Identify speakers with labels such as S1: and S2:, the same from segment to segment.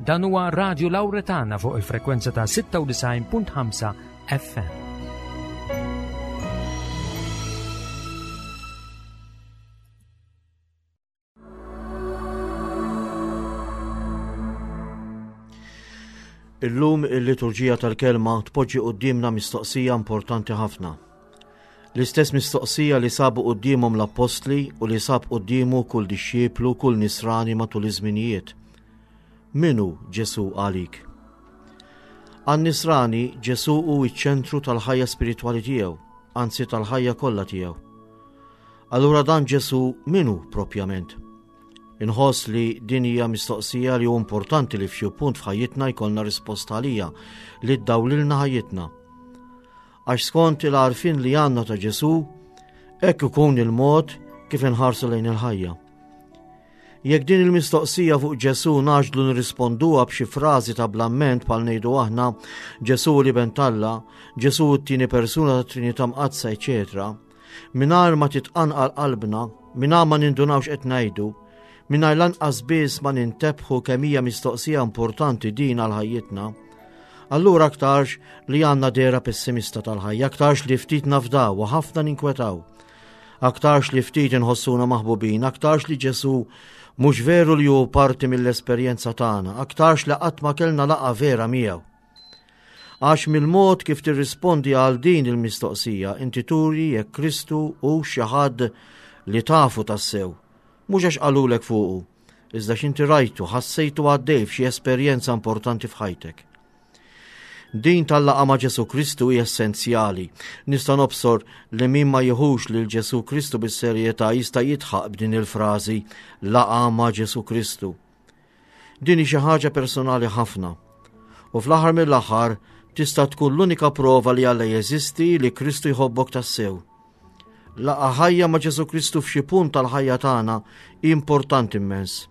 S1: Dan huwa Radio Lauretana fuq il-frekwenza ta' 96.5 FM.
S2: Illum il-liturġija tal-kelma tpoġġi quddiemna mistoqsija importanti ħafna. L-istess mistoqsija li sabu quddiemhom l-appostli u li sab quddiemu kull dixxiplu, kull nisrani matul iż-żminijiet. Min hu Ġesù għalik? Għan-nisrani Ġesù hu ċ-ċentru tal-ħajja spiritwali tiegħu, anzi tal-ħajja kollha tiegħu. Allura dan Ġesù min hu propjament? Inħoss li din hija mistoqsija li hu importanti li f'xi punt f'ħajjitna jkollna risposta għalija li ddawlilna ħajjitna. Għax skont il-għarfien li għandna ta' Ġesù, hekk ikun il-mod kif inħarsu lejn il-ħajja. Jekk din il-mistoqsija fuq Ġesù naġlu nirrisponduha b'xi frażi ta' blamment bħal ngħidu aħna Ġesù li ben t'Alla, Ġesù t-tieni persuna tat-Trinità Mqaddsa, eċetera, mingħajr ma titqanqal qalbna, mingħajr ma nindunaw x'qed ngħidu, mingħajr lanqas biss ma nintebħu kemm hija mistoqsija importanti din għal ħajjitna, allura aktarx li għandna dehra pessimista tal-ħajja, aktarx li ftit nafdaw u ħafna ninkwetaw. Aktarx li ftit inħossuna maħbubin, aktarx li Ġesù mhux veru li hu parti mill-esperjenza tagħna, aktarx li qatt ma kellna laqgħa vera miegħu. Għax mill-mod kif tirrispondi għal din il-mistoqsija inti turi jekk Kristu hu xi ħadd li tafu tassew, mhux għax qalulek fuqu, iżda x'inti rajtu, ħassejtu għaddej f'xi esperjenza importanti f'ħajtek. Din tal-laqgħa ma' Ġesù Kristu hi essenzjali. Nista' nobsor li min ma jieħux lil Ġesù Kristu bis-serjetà jista' jidħaq b'din il-frażi laqgħa ma' Ġesù Kristu. Din hi xi ħaġa personali ħafna. U fl-aħħar mill-aħħar tista' tkun l-unika prova li Alla jeżisti li Kristu jħobbok tassew. Laqgħa ħajja ma' Ġesù Kristu f'xi punt tal-ħajja tagħna hi importanti immens.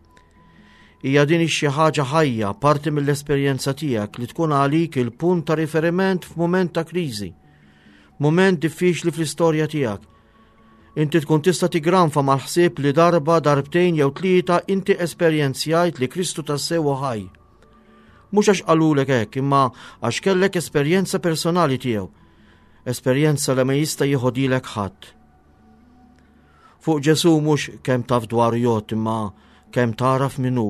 S2: Hija din xi ħaġa ħajja, parti mill-esperjenza tiegħek li tkun għalik il-punt ta' riferiment f'mument ta' kriżi, mument diffiċli fl-istorja tiegħek. Inti tkun tista' tigranfa mal-ħsieb li darba, darbtejn jew tlieta inti esperjenzjajt li Kristu tassew hu ħaj. Mhux għax qalulek hekk, imma għax kellek esperjenza personali tiegħu. Esperjenza li ma jista' jieħodilek ħadd. Fuq Ġesù mhux kemm taf dwaru jgħodd imma kemm tagħraf min hu,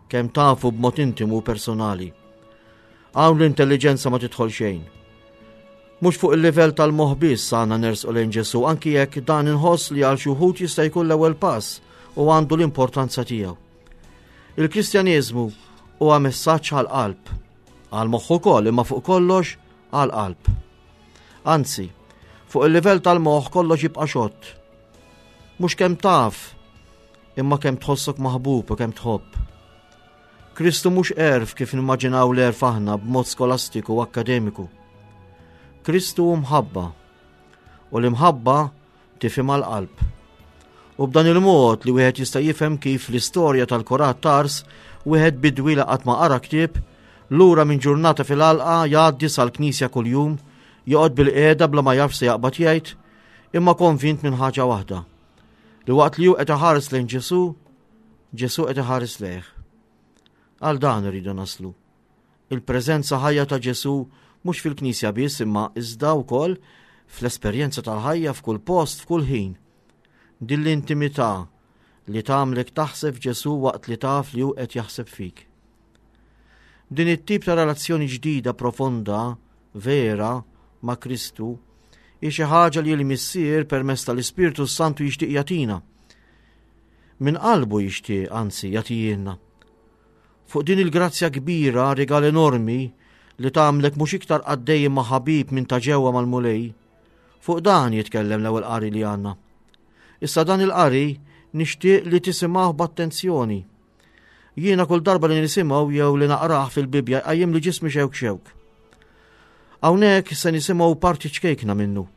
S2: kemm tafu b'mod intimu u personali. Hawn l-intelliġenza ma tidħol xejn. Mhux fuq il-livell tal-moħħ biss għandna nersqu lejn Ġesù anki jekk dan inħoss li għal xi wħud jista' jkun l-ewwel pass u għandu l-importanza tiegħu. Il-Kristjaneżmu huwa messaġġ għall-qalb, għall-moħħ ukoll imma fuq kollox għall-qalb. Anzi, fuq il-livell tal-moħħ kollox jibqa' xott. Mhux kemm taf, imma kemm tħossok maħbub u kemm tħobb. Kristu mhux għerf kif nimmaġinaw l-għerf aħna b'mod skolastiku u akkademiku. Kristu hu mħabba u l-imħabba tifhimha l-qalb. U b'dan il-mod li wieħed jista' jifhem kif l-istorja tal-Korat Tars wieħed bidwi li qatt ma qara ktieb, lura minn ġurnata fil-għalqa jgħaddi sal-knisja kuljum, joqgħod bil-qiegħda bla ma jaf se jaqbad jgħid, imma konvint minn ħaġa waħda. Li waqt li hu qed iħares lejn Ġesù, Ġesù qed iħares lejh. Għal dan irridu naslu. Il-preżenza ħajja ta' Ġesù mhux fil-Knisja biss imma iżda wkoll fl-esperjenza tal-ħajja f'kull post, f'kull ħin. Din l-intimità li tagħmlek taħseb f'Ġesù waqt li taf li hu qed jaħseb fik. Din it-tip ta' relazzjoni ġdida profonda, vera, ma' Kristu, hi xi ħaġa li l-Missier permezz tal-Ispirtu s-Santu jixtieq jagħtina. Minn qalbu jixtieq, anzi, jagħtijielna. Fuq din il-grazzja kbira, rigal enormi, li tagħmlek mhux iktar qaddej imma ħabib minn ta' ġewwa mal-Mulej, fuq dan jitkellem l-ewwel qari li għandna. Issa dan il-qari nixtieq li tisimgħu b'attenzjoni. Jiena kull darba li nisimgħu jew li naqrah fil-Bibbja jqajjim li ġismi xewk xewk. Hawnhekk se nisimgħu parti ċkejkna minnu.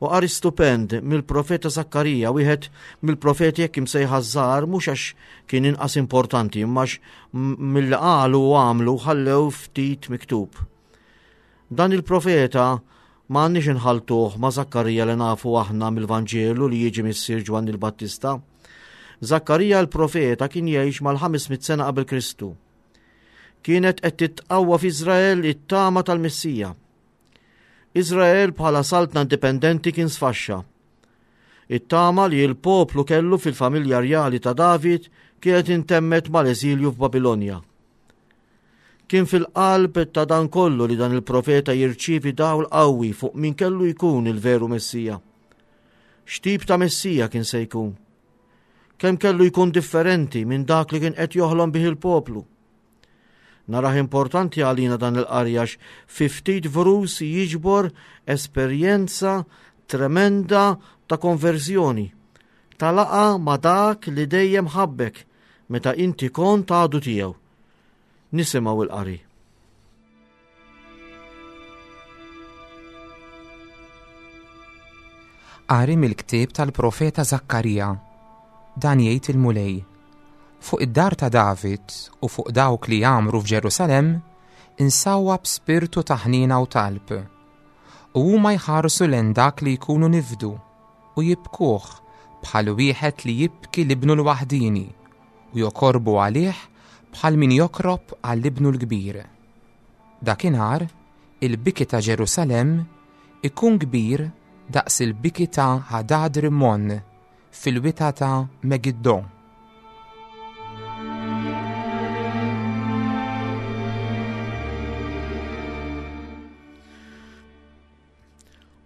S2: U qari stupend mill-profeta Zakkarija, wieħed mill-profeti hekk imsejħa żgħar mhux għax kien inqas importanti, imma għax milli qalu u għamlu ħallew ftit miktub. Dan il-profeta ma għandniex inħaltuh ma' Zakkarija li nafu aħna mill-Vanġelu li jiġi missier Ġwanni l-Battista. Zakkarija l-profeta kien jgħix mal-500 sena qabel Kristu. Kienet qed titqawwa f'Iżrael it-tama tal-Messija. Iżrael bħala saltna indipendenti kien sfaxxa. It-tama li l-poplu kellu fil-familja rjali ta' David kienet intemmet mal-eżilju f'Babilonja. Kien fil-qalb ta' dan kollu li dan il-profeta jirċievi dawl qawwi fuq min kellu jkun il-veru Messija. X'tip ta' Messija kien se jkun? Kemm kellu jkun differenti minn dak li kien qed joħlom bih il-poplu? Narah importanti għalina dan il-qari għax fi ftit vrus jiġbor esperjenza tremenda ta' konverżjoni, ta' laqa ma' dak li dejjem ħabbek meta inti kont għadu tiegħu. Nisimgħu il-qari.
S3: Qari mill-ktieb tal-profeta Żakkarija. Dan jgħid il-Mulej. Fuq id-dar ta' David u fuq dawk li jgħammru f'Ġerusalemm insawwab spirtu ta' ħniena u talb. U huma jħarsu lejn dak li jkunu nifdu u jibkuh bħal wieħed li jibki l-ibnu l-waħdieni u jokorbu għalih bħal min jokrob għal ibnu l-kbir. Dakinhar, il-biki ta' Ġerusalemm ikun kbir daqs il-biki ta' Hadad Rimmon fil-wita ta' Megiddo.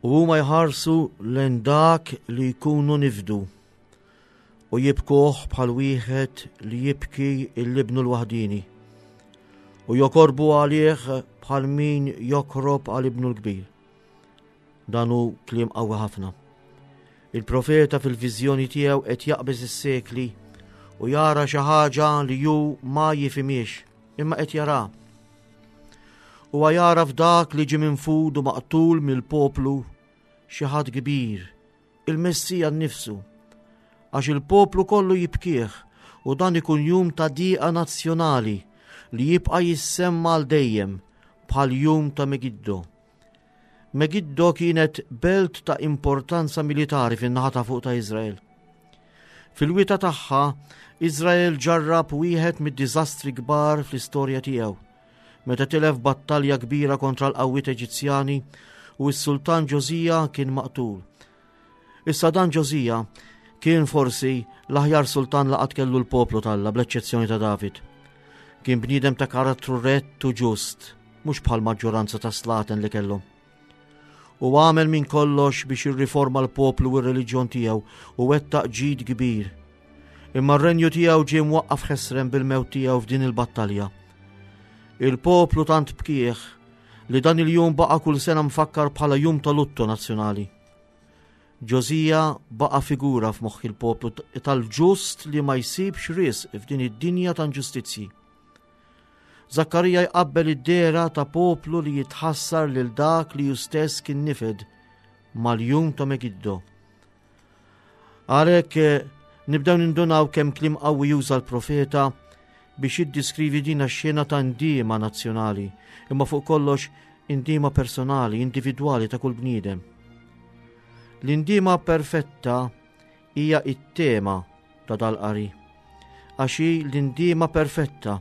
S2: U huma jħarsu lejn dak li jkunu nifdu u jibkuh bħal wieħed li jibki l-ibnu l-waħdini u jokorbu għalih bħal min jokrob għal ibnu l-kbir. Dan hu kliem qawwi ħafna. Il-profeta fil-viżjoni tiegħu qed jaqbeż is-sekli u jara xi ħaġa li hu ma jifhimiex, imma qed jara. Huwa jara f'dak li ġie minfud u maqtul mill-poplu xi ħadd kbir, il-Messija nnifsu, għax il-poplu kollu jibkih u dan ikun jum ta' diqa nazzjonali li jibqa' jissemma għal dejjem bħal jum ta' Megiddo. Megiddo kienet belt ta' importanza militari fin-naħa ta' fuq ta' Iżrael. Fil-wita tagħha, Iżrael ġarrab wieħed mid-diżastri kbar fl-istorja tiegħu, meta tilef battalja kbira kontra l-qawwiet Eġizzjani u s-sultan Ġosija kien maqtul. Issa dan Ġosija kien forsi l-aħjar sultan li qatt kellu l-poplu t'Alla bl-eċċezzjoni ta' David. Kien bniedem ta' karattru rett u ġust, mhux bħal maġġoranza ta' slaten li kellhom. U għamel minn kollox biex irriforma l-poplu u r-reliġjon tiegħu u wettaq ġid kbir. Imma r-renju tiegħu ġie mwaqqaf ħesrem bil-mewt tiegħu f'din il-battalja. Il-poplu tant bkieħ li dan il-jum baqa' kull sena mfakkar bħala jum ta' luttu nazzjonali. Ġosija baqa' figura f'moħħ il-poplu tal-ġust li ma jsibx risq f'din id-dinja ta' inġustizzji. Zakkarija jqabbel id-dehra ta' poplu li jitħassar lil dak li hu stess kien nifed mal-jum ta' Megiddo. Għalhekk eh, nibdew nindunaw kemm kliem qawwi juża l-profeta biex jiddiskrivi din x-xena ta' ndiema nazzjonali, imma fuq kollox indiema personali, individwali ta' kull bniedem. L-indiema perfetta hija it-tema ta' dal-qari, għax hi l-indiema perfetta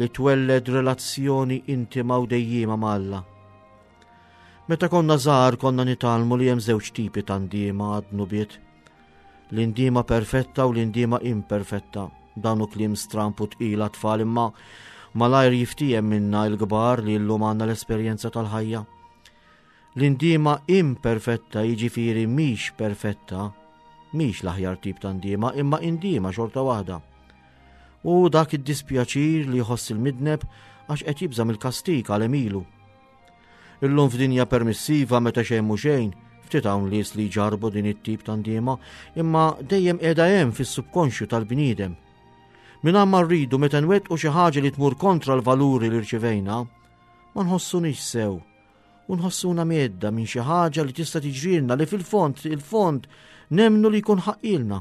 S2: li twelled relazzjoni intima u dejjiema ma' Alla. Meta konna żgħar konna nitgħallmu li hemm żewġ tipi ta' ndiema għad-dnubiet. L-indiema perfetta u l-indiema imperfetta. Dan hu kliem stramp u tqil għat-tfal imma malajr jiftiehem minna l-kbar li llum għandna l-esperjenza tal-ħajja. L-indiema imperfetta jiġifieri mhix perfetta, mhix l-aħjar tip ta' ndiema imma indiema xorta waħda. U dak id-dispjaċir li jħoss il-midneb għax qed jibża' mill-kastig għal emilu. Illum f'dinja permissiva meta xejn mhu xejn, ftit hawn nies li jġarbu din it-tip ta' ndiema, imma dejjem qiegħda hemm fis-subkonxju tal-bniedem. Mingħajr ma rridu meta nwettqu xi ħaġa li tmur kontra l-valuri li rċivejna, ma nħossunix sew u nħossuna medda minn xi ħaġa li tista' tiġrilna li fil-fond il-fond nemnu li jkun ħaqqilna.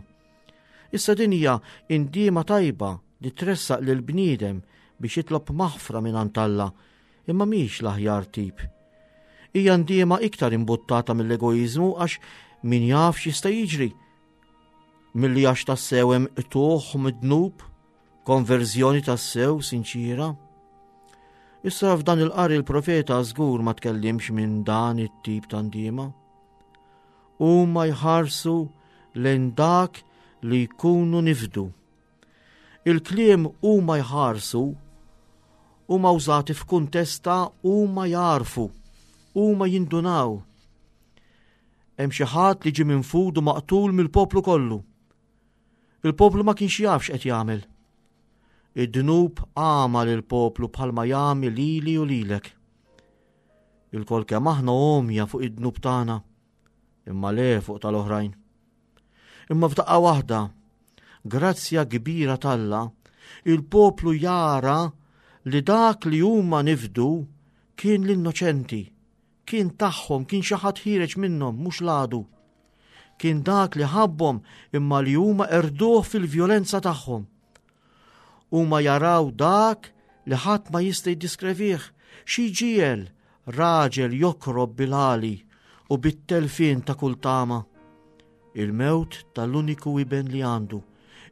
S2: Issa din hija indiema tajba li tressaq lil bniedem biex jitlob maħfra minn Alla imma mhix l-aħjar tip. Hija ndiema iktar imbuttata mill-egoiżmu għax min jaf x'jista' jiġri. Milli għax tassew hemm qtugħ mid-dnub, konverżjoni tassew sinċira. Issa f'dan il-qari l-profeta żgur ma tkellimx minn dan it-tip ta' ndiema. Huma jħarsu lejn dak li jkunu nifdu. Il-kliem huma jħarsu huma użati f'kuntest ta' huma jagħrfu, huma jindunaw. Hemm xi ħadd li ġie minfud u maqtul mill-poplu kollu. Il-poplu ma kienx jaf x'qed jagħmel. Id-dnub għama lill-poplu bħalma jagħmi lili u lilek. Ilkoll kemm aħna għomja fuq id-dnub tagħna, imma le fuq tal-oħrajn. Imma f'daqqa waħda, grazzja kbira t'Alla, il-poplu jara li dak li huma nifdu kien l-innoċenti, Kien tagħhom, kien xi ħadd ħiereġ minnhom, mhux l-għadu. Kien dak li ħabbhom imma li huma qerduh fil-vjolenza tagħhom. Huma jaraw dak li ħadd ma jista' jiddiskrevih, xi jġiegħel raġel jokrob bil-għali u bit-telfien ta' kull tama. Il-mewt tal-uniku iben li għandu,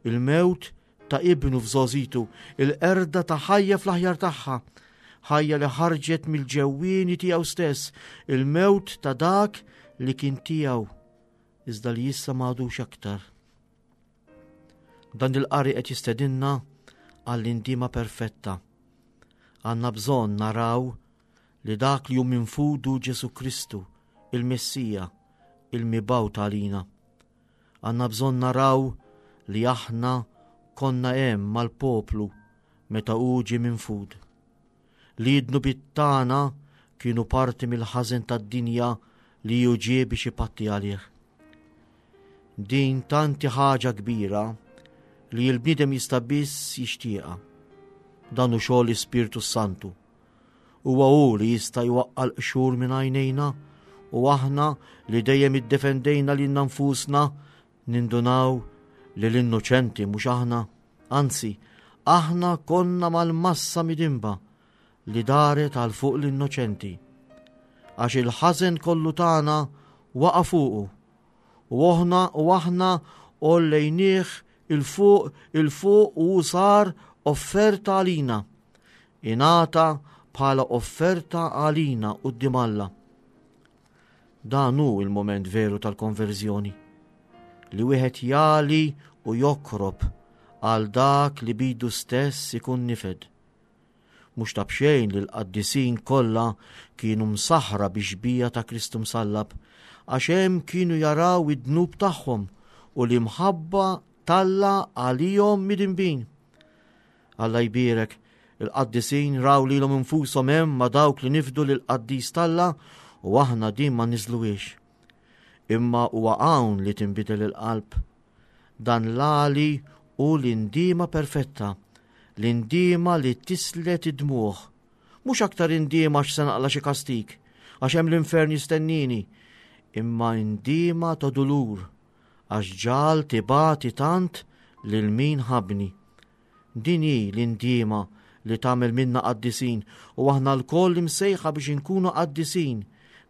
S2: il-mewt ta' ibnu f'żgħożitu, il-qerda ta' ħajja fl-aħjar tagħha, ħajja li ħarġet mill-ġewwieni tiegħu stess, il-mewt ta' dak li kien tiegħu, iżda li issa m'għadux aktar. Dan il-qari qed jistedinna għall-indiema perfetta. Għandna bżonn naraw li dak li hu minfudu Ġesu Kristu, il-Messija, il-mibgħut għalina. Għandna bżonn naraw li aħna konna hemm mal-poplu meta hu ġie minfud. Li d-dnubiet tagħna kienu parti mill-ħażen tad-dinja li hu ġie biex ipatti għalih. Din tanti ħaġa kbira li l-bniedem jista' biss jixtieqha. Dan hu xogħol l-Ispirtu Santu. Huwa hu li jista' jwaqqa' l-qxur minn għajnejna u aħna li dejjem iddefendejna lilna nfusna nindunaw li l-innoċenti mhux aħna, anzi, aħna konna mal-massa midinba li daret għal fuq l-innoċenti. Għax il-ħażen kollu tagħna waqa' fuqu u oħna u aħna għollejnieh 'il fuq 'il fuq u hu sar offerta għalina. Ingħata bħala offerta għalina quddiem Alla. Dan hu il-moment veru tal-konverżjoni. Li wieħed jali u jokrob għal dak li bidu stess ikun nifed. Mhux ta' b'xejn li l-qaddisin kollha kienu msaħħra bix-xbieha ta' Kristu msallab, għax hemm kienu jaraw id-dnub tagħhom u l-imħabba t'Alla għalihom midinbin. Alla jbierek, il-qaddisin raw lilhom infushom hemm ma' dawk li nifdu lill-qaddis t'Alla u aħna din ma niżluhiex. Imma huwa hawn li tinbidel il-qalb. Dan l-għali hu l-indiema perfetta, l-indiema li tislet id-dmugħ. Mhux aktar indiema għax se naqla' xi kastig, għax hemm l-infern jistennieni, imma indiema ta' dulur għax ġagħal tibati tant lil min ħabbni. Din hi l-indiema li tagħmel minna qaddisin u aħna lkoll imsejħa biex inkunu qaddisin,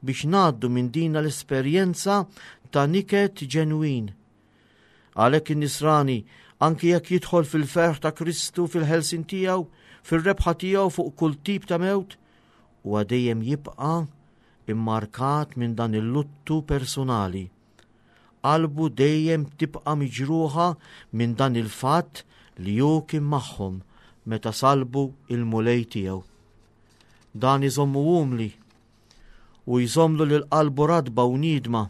S2: biex ngħaddu minn din l-esperjenza ta' niket ġenwin. Għalhekk in-nisrani, anki jekk jidħol fil-ferħ ta' Kristu fil-ħelsin tiegħu, fir-rebħa tiegħu fuq kull tip ta' mewt, huwa dejjem jibqa' immarkat minn dan il-luttu personali. Qalbu dejjem tibqa' miġruħa minn dan il-fatt li hu kien magħhom meta sallbu il-Mulej tiegħu. Dan iżommu umli u jżommlu lil qalbu ratba u niedma.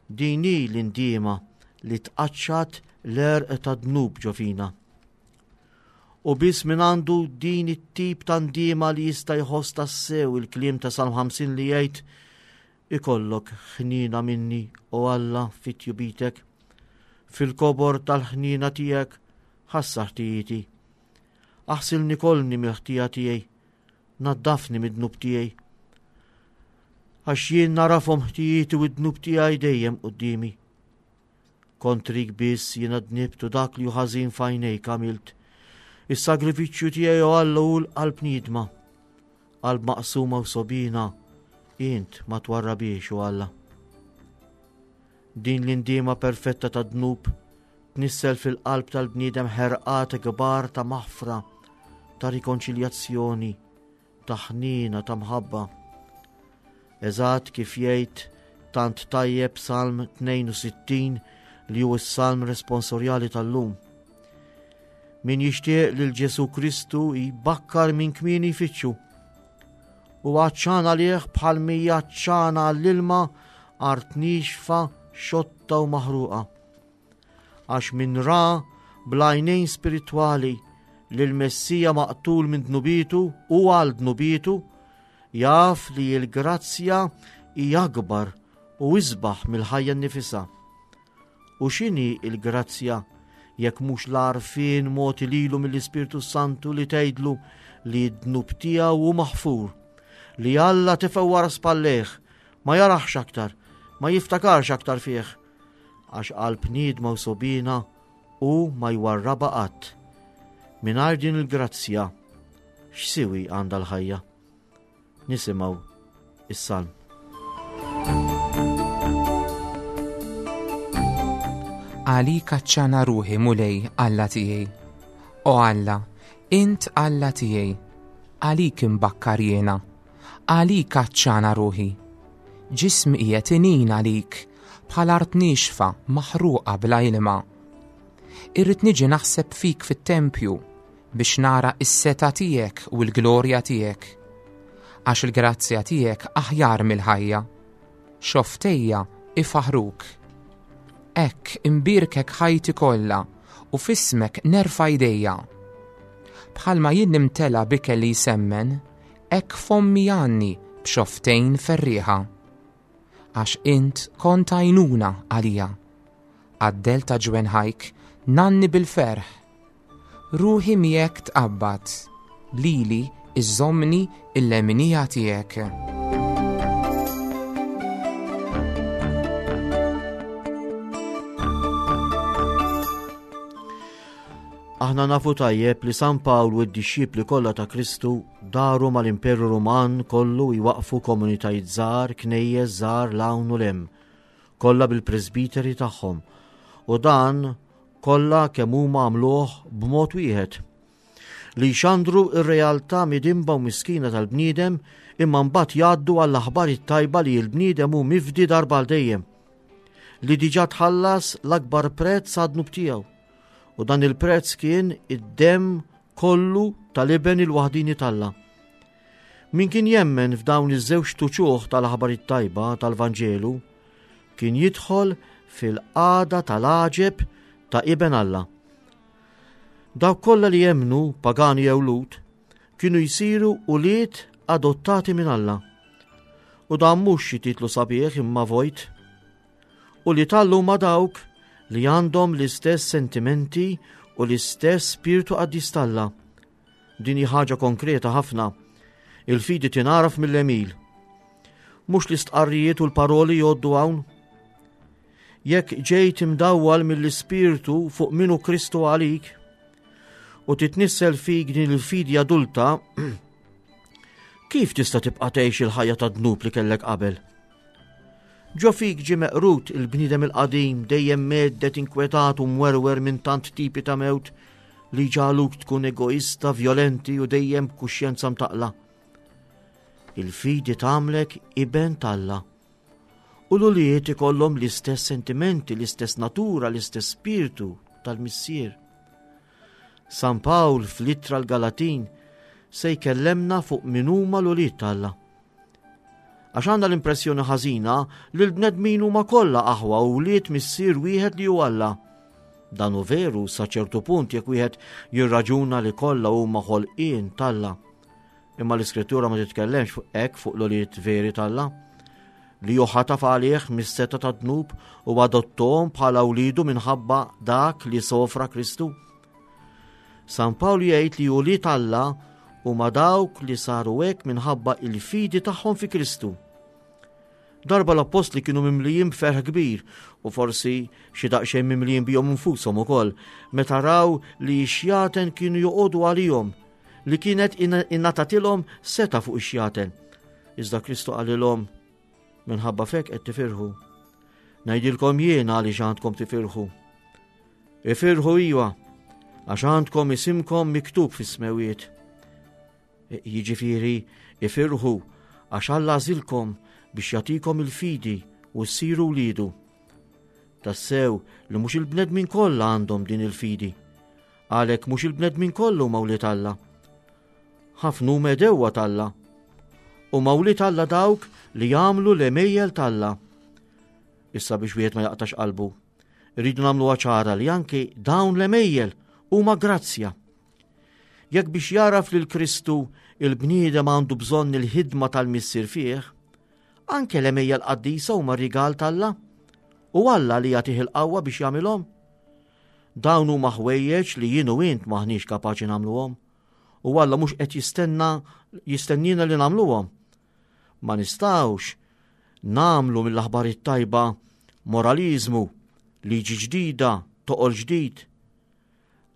S2: Din hi l-indiema li tqaċċat l-għerq tad-dnub ġo fina. U biss min għandu din it-tip ta' ndiema li jista' jħoss tassew il-kliem ta' Salm 50 li jgħid Ikollok ħniena minni, o Alla, fi tjubitek. Fil-kobor tal-ħniena tiegħek ħassar ħtijieti. Aħsilni kollni mill-ħtija tiegħi, naddafni mid-dnub tiegħi. Għax jien narafhom ħtijieti u d-dnub tiegħi dejjem quddiemi. Kontrik biss jiena dnibt u dak li hu ħażin f'għajnejk għamilt. Is-sagrifiċċju tiegħi o Alla hu l-qalb niedma. Qalb maqsuma u sogħbiena, int ma twarrabhiex o Alla. Din l-indiema perfetta tad-dnub tnissel fil-qalb tal-bniedem ħerqat kbar ta' maħfra, ta' rikonċiljazzjoni. ta' ħniena ta' mħabba. Eżatt kif jgħid tant tajjeb Salm 62 li hu s-salm responsorjali tal-lum. Min jixtieq lil Ġesu Kristu jbakkar minn kmieni jfittxu. U għatxan għalih bħal mija għatxana għall-ilma art nixfa, xotta u maħruqa. Għax min ra bl-għajnejn spiritwali li l-Messija maqtul minn dnubietu u għal dnubietu, jaf li l-grazzja hi akbar u isbaħ mill-ħajja nnifisha. U x'inhi l-grazzja jekk mhux l-għarfien mogħti lilu mill-Ispirtu Santu li tgħidlu li d-dnub tiegħu hu maħfur, li Alla tefgħu wara spallejh, ma jaraħx aktar, ma jiftakarx aktar fih, għax qalb niedma u sogħbiena hu ma jwarrabha qatt. Mingħajr din il-grazzja, x'siwi għandha l-ħajja? Nisimgħu is-salm.
S3: Għalik għatxana ruħi Mulej Alla tiegħi. O Alla, int Alla tiegħi. Għalik imbakkar jiena. Għalik għatxana ruħi. Ġismi qiegħed inin għalik bħal art niexfa maħruqa bla ilma. Irrid niġi naħseb fik fit-tempju biex nara s-setgħa tiegħek u l-glorja tiegħek. Għax il-grazzja tiegħek aħjar mill-ħajja. Xofftejja ifaħruk. Hekk imbierkek ħajti kollha u f'ismek nerfa' jdejja. Bħalma jien nimtela b'ikel li jsemmen, hekk fommi jgħanni b'xofftejn ferrieħa. Għax int kont għajnuna għalija. Għad-dell ta' ġwenħajk ngħanni bil-ferħ. Ruħi miegħek tqabbad, lili iżżommni il-leminija tiegħek.
S2: Aħna nafu tajjeb li San Pawl u d-dixxipli kollha ta' Kristu daru mal-Imperu Ruman kollu jwaqfu komunitajiet żgħar, knejjes żgħar 'l hawn u 'l hemm, kollha bil-presbiteri tagħhom. U dan kollha kemm huma għamluh b'mod wieħed. Li jxandru r-realtà midinba u miskina tal-bniedem imma mbagħad jgħaddu għall-aħbar it-tajba li l-bniedem hu mifdi darba għal dejjem. Li diġà tħallas l-akbar prezz għad-dnub tiegħu. U dan il-prezz kien id-demm kollu tal-iben il-waħdini t'Alla. Min kien jemmen f'dawn iż-żewġ tuċuħ tal-aħbar it-tajba tal-Vanġelu kien jidħol fil-qagħda tal-għaġeb ta' iben Alla. Dawk kollha li jemmnu, pagani jew Lhud, kienu jsiru ulied adottati minn Alla. U dan mhux xi titlu sabiħ imma vojt. Ulied Alla huma dawk li għandhom l-istess sentimenti u l-istess spirtu qaddis t'Alla. Din hi ħaġa konkreta ħafna. Il-fidi tingħaraf mill-għemil. Mhux l-istqarrijiet u l-paroli jgħoddu hawn. Jekk ġejt imdawwal mill-Ispirtu fuq minu Kristu għalik u titnissel fik din il-fidi adulta, kif tista' tibqa' tgħix il-ħajja ta' dnub li kellek qabel? Ġo fik ġie meqrud il-bniedem il-qadim dejjem meddet inkwetat u mwerwer minn tant tipi ta' mewt li jġagħluk tkun egoista, vjolenti u dejjem b'kuxjenza mtaqla. Il-fidi tagħmlek iben t'Alla. U l-ulied ikollhom l-istess sentimenti, l-istess natura, l-istess spirtu tal-Missier. San Pawl fl-ittra l-Galatin se jkellemna fuq min huma l-ulied t'Alla. Għax għandna l-impressjoni ħażina li l-bnedmin huma kollha aħwa u wlied missier wieħed li hu Alla. Dan hu veru sa ċertu punt jekk wieħed jirraġuna li kollha huma ħolqien t'Alla. Imma l-Iskrittura ma titkellemx fuq hekk fuq l-ulied veri t'Alla li hu ħataf għalih mis-seta tad-dnub u adottom bħala wlidu minħabba dak li sofra Kristu. San Pawl jgħid li ulied Alla huma dawk li saru hekk minħabba il-fidi tagħhom fi Kristu. Darba l-appostli kienu mimlijin b'ferħ kbir u forsi xi daqsxejn mimlijin bihom infushom ukoll meta raw li x-xjaten kienu joqogħdu għalihom li kienet ingħatatilhom seta' fuq ix-xjaten. Iżda Kristu qalilhom minħabba fek qed tifirħu. Ngħidilkom jien għaliex għandkom tifirħu. Ifirħu iwa, għax għandkom isimkom miktub fis-smewiet. Jiġifieri ifirħu għax Alla għażilkom biex jagħtikom il-fidi u ssiru wliedu. Tassew li mhux il-bnedmin kollha għandhom din il-fidi. Għalhekk mhux il-bnedmin kollha huma wlied Alla. Ħafna huma għedewwa t'Alla. Huma wlied Alla dawk li jagħmlu l-għemejjel t'Alla. Issa biex wieħed ma jaqtax qalbu, irridu nagħmluha ċara li anki dawn l-għemejjel huma grazzja. Jekk biex jaraf lil Kristu il-bniedem għandu bżonn il-ħidma tal-Missier fih, anke l-għemejjel qaddisa huma rigal t'Alla u Alla li jagħtih il-qawwa biex jagħmilhom. Dawn huma ħwejjeġ li jien u int m'aħniex kapaċi nagħmluhom. U Alla mhux qed jistenna jistennina li nagħmluhom. Ma nistgħux nagħmlu mill-aħbar it-tajba moraliżmu, liġi ġdida, toqol ġdid.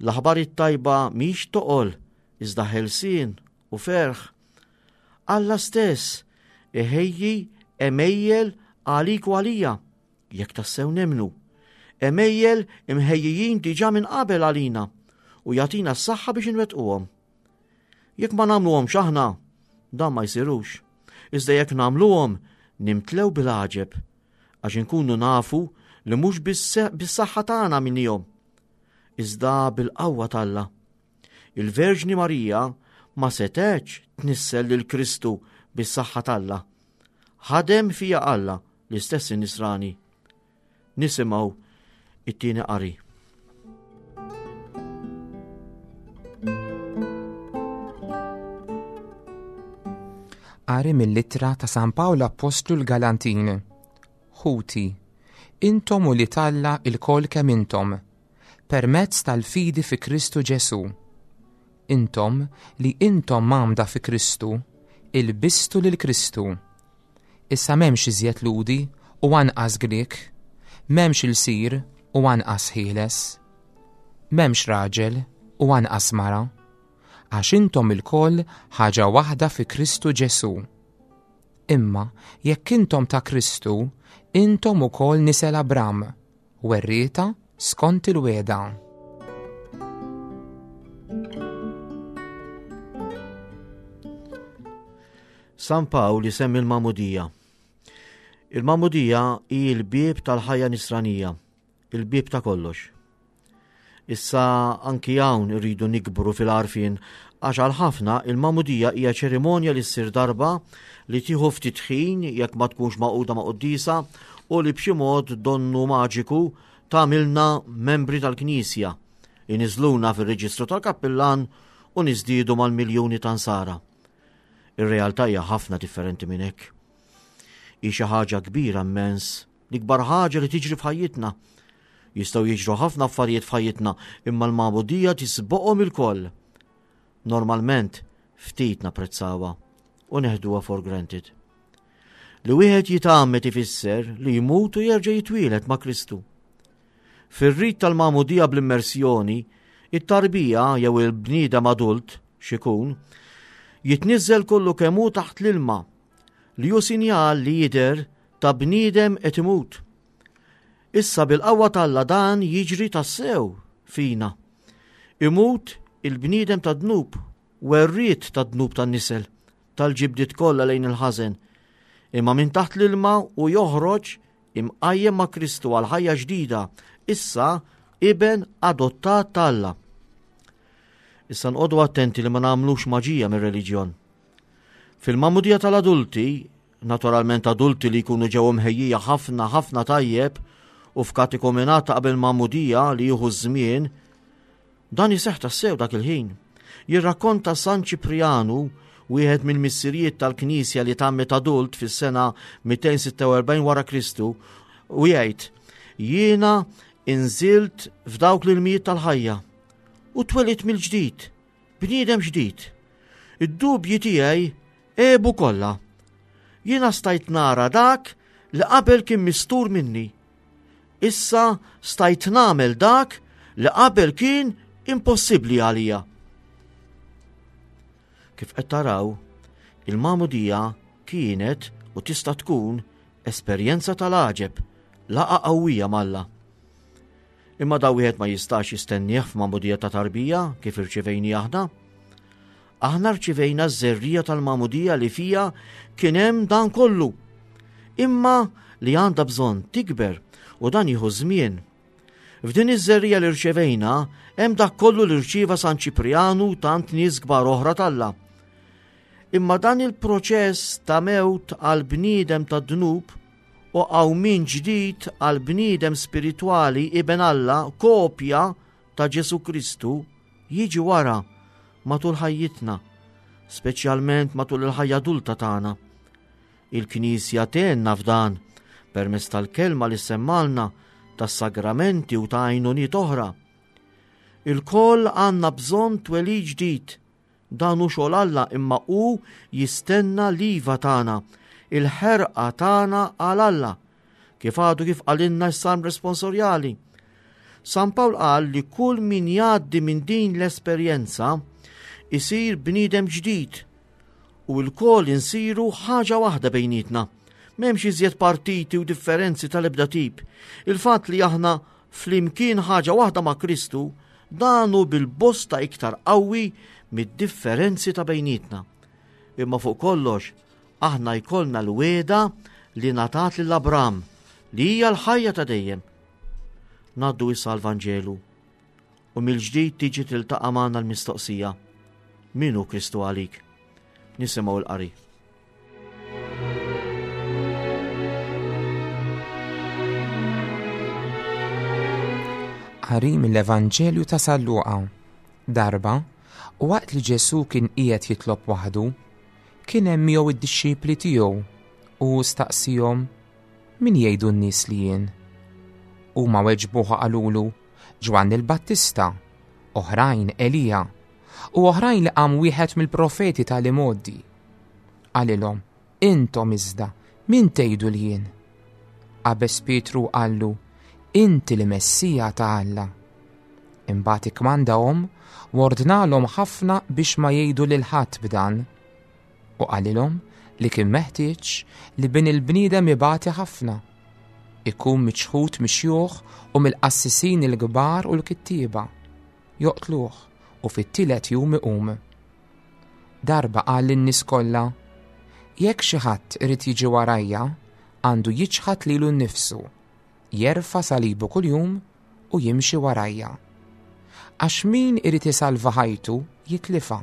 S2: L-aħbar it-tajba mhix toqol iżda ħelsien u ferħ. Alla stess iħejji għemejjel għalik u għalija, jekk tassew nemmnu. Għemejjel imħejjijin diġà minn qabel għalina u jagħtina s-saħħa biex inwettquhom. Jekk ma nagħmluhomx aħna, dan ma jsirux. Iżda jekk nagħmluhom, nimtlew bil-għaġeb, għax inkunu nafu li mhux bis-saħħa tagħna minnihom, iżda bil-qawwa t'Alla. Il-Verġni Marija ma setgħetx tnissel lil Kristu bis-saħħa t'Alla. Ħadem fija Alla l-istess in-Nisrani. Nisimgħu it-tieni qari.
S3: Qari mill-ittra ta' San Pawl Appostlu l-Galantin. Ħuti, intom u li talla il-kol kemm intom, permezz tal-fidi fi Kristu Ġesù. Intom li intom mgħammda fi Kristu, ilbistu lil Kristu. Issa m'hemmx iżjed Lhudi u anqas Grieg, m'hemmx ilsir u anqas ħieles. M'hemmx raġel u anqas mara, għax intom ilkoll ħaġa waħda fi Kristu Ġesù. Imma jekk intom ta' Kristu, intom ukoll nisel Abram, werrieta skont il-wegħda.
S2: San Pawl isemmi l-magħmudija. Il-magħmudija hi l-bieb tal-ħajja nisranija, il-bieb ta' kollox. Issa anki hawn irridu nikbru fil-għarfien għax għal ħafna il-magħmudija hija ċerimonja li ssir darba li tieħu ftit ħin jekk ma tkunx magħquda ma' quddiesa u li b'xi mod donnu maġiku tagħmilna membri tal-Knisja, iniżluna fir-reġistru tal-kappillan u niżdiedu mal-miljuni ta' nsara. Ir-realtà hija ħafna differenti minn hekk. Hi xi ħaġa kbira immens, l-ikbar ħaġa li tiġri f'ħajjitna. Jistgħu jiġru ħafna affarijiet f'ħajjitna, imma l-magħmudija tisboqhom ilkoll. Normalment ftit napprezzawha u neħduha for granted. Li wieħed jitgħammed ifisser li jmut u jerġa' jitwieled ma' Kristu. Fir-rit tal-magħmudija bl-immersjoni, it-tarbija jew il-bniedem adult, x'ikun, jitniżżel kollu kemm hu taħt l-ilma, li hu sinjal li jidher ta' bniedem qed imut. Issa bil-qawwa t'Alla dan jiġri tassew fina. Imut il-bniedem tad-dnub, werriet tad-dnub tan-nisel, tal-ġibdiet kollha lejn il-ħażen. Imma minn taħt l-ilma u joħroġ imqajjem ma' Kristu għal ħajja ġdida, issa iben adottat ta' Alla. Issa nqogħdu attenti li ma nagħmlux maġija mir-reliġjon. Fil-magħmudija tal-adulti, naturalment adulti li jkunu ġew imħejjija ħafna ħafna tajjeb u f'katekumenat ta' qabel magħmudija li jieħu ż-żmien, dan iseħħ tassew dak il-ħin. Jirrakkonta San Ċiprianu, wieħed mill-missirijiet tal-Knisja li tgħammed adult fis-sena 246 wara Kristu, u jgħid, Jiena inżilt f'dawk l-ilmijiet tal-ħajja u twelidt mill-ġdid, bniedem ġdid. Id-dubji tiegħi għebu kollha. Jiena stajt nara dak li qabel kien mistur minni. Issa stajt nagħmel dak li qabel kien impossibbli għalija. Kif qed taraw, il-magħmudija kienet u tista' tkun esperjenza tal-għaġeb, laqgħa qawwija m'Alla. Imma da wieħed ma jistax jistennieh f'magħmudija ta' tarbija kif irċivejni aħna. Aħna rċivejna ż-żerriegħa tal-magħmudija li fiha kien hemm dan kollu. Imma li għandha bżonn tikber u dan jieħu żmien. F'din iż-żerriegħa li rċevejna hemm dak kollu li rċieva San Ċiprianu u tant nies kbar oħra t'Alla. Imma dan il-proċess ta' mewt għal bniedem ta' dnub u qawmien ġdid għal bniedem spiritwali iben Alla kopja ta' Ġesu Kristu jiġi wara matul ħajjitna, speċjalment matul il-ħajja adulta tagħna. Il-Knisja tgħinna f'dan permezz tal-kelma li semmalna, tas-sagramenti u ta' għajnuniet oħra. Ilkoll għandna bżonn twelid ġdid. Dan hu xogħol Alla imma hu jistenna l-iva tagħna, il-ħerqa tagħna għal Alla. Kif għadu kif qalilna s-salm responsorjali. San Pawl qal li kull min jgħaddi minn din l-esperjenza isir bniedem ġdid u lkoll insiru ħaġa waħda bejnietna. M'hemmx iżjed partiti u differenzi tal-ebda tip. Il-fatt li aħna flimkien ħaġa waħda ma' Kristu, dan hu bil-bosta iktar qawwi mid-differenzi ta' bejnietna. Imma fuq kollox, aħna jkollna l-wegħda li ngħatat lil Abram, li hija l-ħajja ta' dejjem. Ngħaddu issa għall-Vanġelu. U mill-ġdid tiġi tiltaqa' magħna l-mistoqsija, Min hu Kristu għalik? Nisimgħu l-qari.
S3: Qari mill-Evanġelju ta' San Luqa. Darba, waqt li Ġesù kien qiegħed jitlob waħdu, kien hemm miegħu id-dixxipli tiegħu u staqsihom min jgħidu n-nies li jien. Huma weġbuh qalulu, Ġwanni l-Battista, oħrajn Elija, u oħrajn li qam wieħed mill-profeti tal-imgħoddi. Qalilhom, Intom iżda, min tgħidu li jien? Qabeż Pietru u qallu, Inti l-Messija ta' Alla. Imbagħad ikkmandahom u ordnalhom ħafna biex ma jgħidu lil ħadd b'dan. U qalilhom li kien meħtieġ li bin il-bniedem ibati ħafna, ikun miċħud mix-xjuħ u mill-qassisin il-kbar u l-kittieba, joqtluh u fit-tielet jum iqum. Darba qal lin-nies kollha, Jekk xi ħadd irid jiġi warajja, għandu jiċħad lilu nnifsu, jerfa' salibu kuljum u jimxi warajja. Għax min irid isalva ħajtu jitlifha,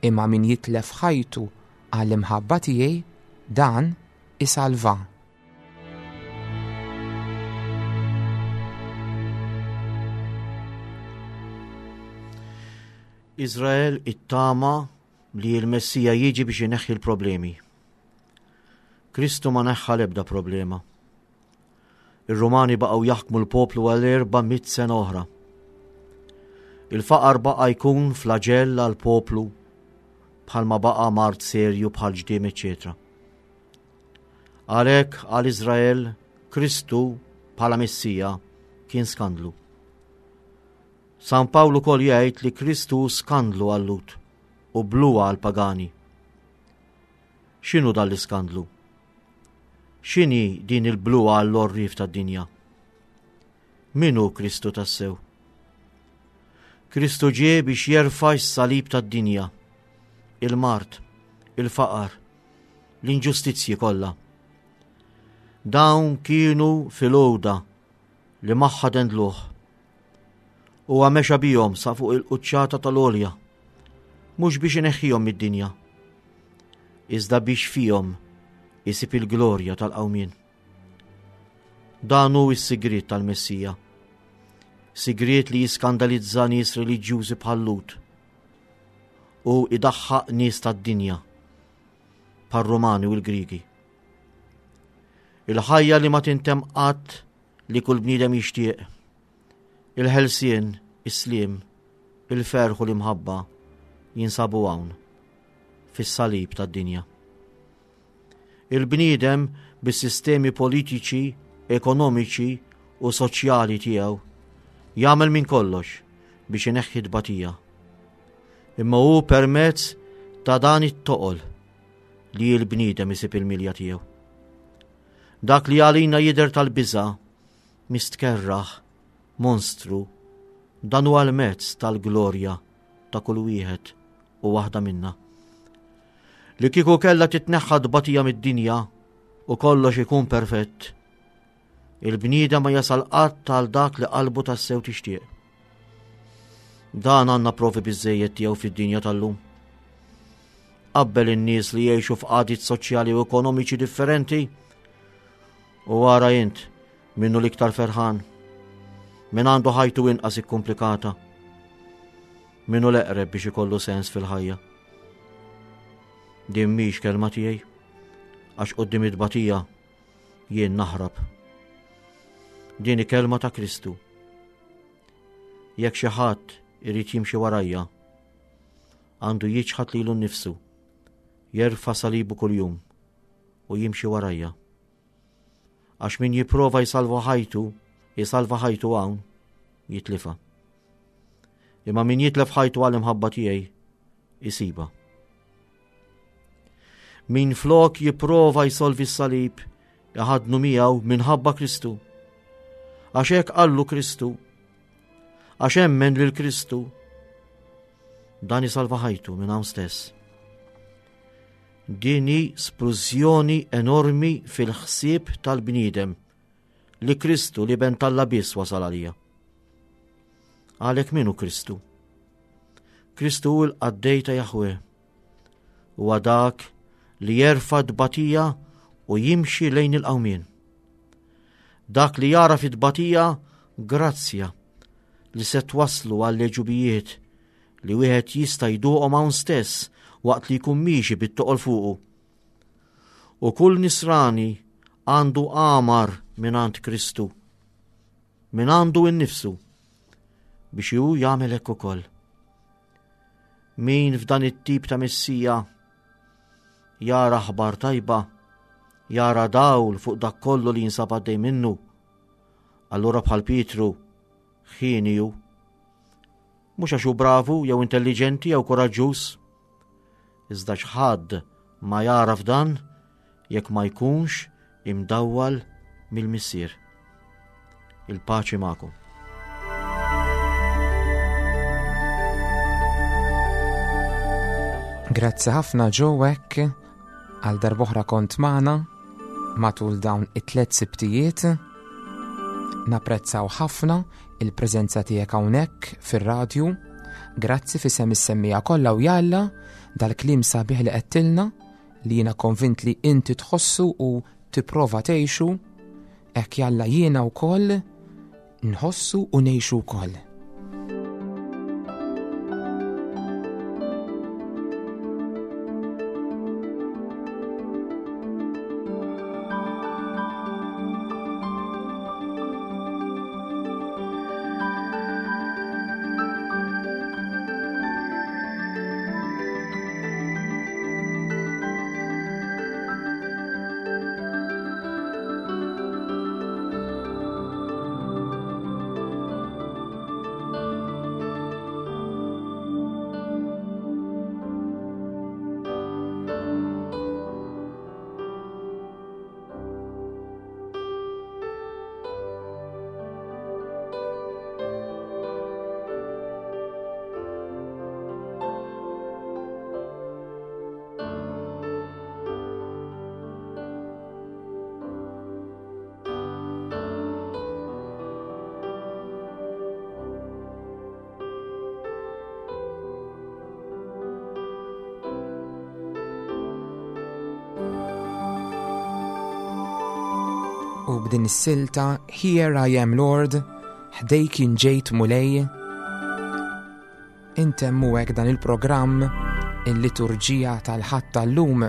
S3: imma min jitlef ħajtu għall-imħabba tiegħi, dan isalvha.
S2: Iżrael ittama li l-Messija jiġi biex ineħħi l-problemi. Kristu ma neħħa l-ebda problema. Ir-Rumani baqgħu jaħkmu l-poplu għal 400 sena oħra. Il-faqar baqa' jkun flaġell għal poplu bħalma baqa' mard serju bħal ġdiem eċċetera. Għalhekk għal Iżrael Kristu bħala Messija kien skandlu. San Pawl ukoll jgħid li Kristu skandlu għal-Lhud u bluha għall-pagani. X'inhu dan l-iskandlu? X'inhi din il-bluha għall-għorrief tad-dinja? Min hu Kristu tassew? Kristu ġie biex jerfa' s-salib tad-dinja, il-mard, il-faqar, l-inġustizzji kollha. Dawn kienu fil-għoda li magħha dendluh. Huwa mexa bihom sa fuq il-quċċata tal-għolja, mhux biex ineħħihom mid-dinja, iżda biex fihom isib il-glorja tal-qawmien. Dan hu s-sigriet tal-Messija. Sigriet li jiskandalizza nies reliġjużi bħal Lut u idaħħaq nies tad-dinja bħar-Rumani u l-Grigi. Il-ħajja li ma tintemm qatt li kull bniedem jixtieq. Il-ħelsien, is-sliem, il-ferħ u l-imħabba jinsabu hawn, fis-salib tad-dinja. Il-bniedem bis-sistemi politiċi, ekonomiċi u soċjali tiegħu jagħmel minn kollox biex ineħħi tbatija. Imma hu permezz ta' dan it-toqol li l-bniedem isib il-milja tiegħu. Dak li għalina jidher tal-biża' mistkerraħ, monstru, dan huwa l-mezz tal-glorja ta' kull wieħed u waħda minna. Li kieku kellha titneħħa tbatija mid-dinja u kollox ikun perfett, il-bniedem ma jasal qatt għal dak li qalbu tassew tixtieq. Dan għandna provi biżejjed tiegħu fid-dinja tal-lum. Qabbel in-nies li jgħixu f'qagħdiet soċjali u ekonomiċi differenti u ara int minnu l-iktar ferħan, min għandu ħajtu inqas ikkumplikata, minnu l-eqreb biex ikollu sens fil-ħajja. Din mhix kelma tiegħi, għax quddiem it-tbatija jien naħrab. Din hi kelma ta' Kristu. Jekk xi ħadd irid jimxi warajja, għandu jiċħad lilu nnifsu, jerfa' salibu kuljum u jimxi warajja. Għax min jipprova jsalva ħajtu, jsalva ħajtu hawn, jitlifa. Imma min jitlef ħajtu għal imħabba tiegħi, isiba. Min flok jipprova jsolvi s-salib, iħadnu miegħu minħabba Kristu. Għax hekk qallu Kristu. Għax emmen lil Kristu. Dan isalva ħajtu minn hawn stess. Din hi splużjoni enormi fil-ħsieb tal-bniedem li Kristu li ben talla biss wasal għalija. Għalhekk min hu Kristu? Kristu hu l-qaddej ta' Jahwe. Huwa dak li jerfa' tbatija u jimxi lejn il-qawmien. Dak li jara fit-tbatija grazzja li se twasslu għal leġubijiet li wieħed jista' jduqhom hawn stess waqt li jkun miexi bit-toqol fuqu. U kull nisrani għandu għamar mingħand Kristu, minn għandu innifsu, biex hu jagħmel hekk ukoll. Min f'dan it-tip ta' missija jara aħbar tajba, jara dawl fuq dak kollu li jinsab għaddej minnu, allura bħal Pietru ħieni hu. Mhux għax hu bravu jew intelliġenti jew kuraġġuż, iżda x'ħadd ma jagħraf dan jekk ma jkunx imdawwal mill-Missier. Il-paċi magħkom.
S3: Grazzi ħafna Joe għal darboħra kont magħna matul dawn it-tlet sibtijiet. Napprezzaw ħafna il-preżenza tiegħek hawnhekk fir-radju. Grazzi fisem is-semmija kollha u jalla dal-kliem sabiħ li qedtilna li jiena konvint li inti tħossu u tipprova tgħixu, hekk jalla jiena wkoll nħossu u ngħixu wkoll. U b'din is-silta Here I am Lord, ħdejk ġejt Mulej. Intemmu hekk dan il-programm il-liturġija tal-ħadd tal-lum.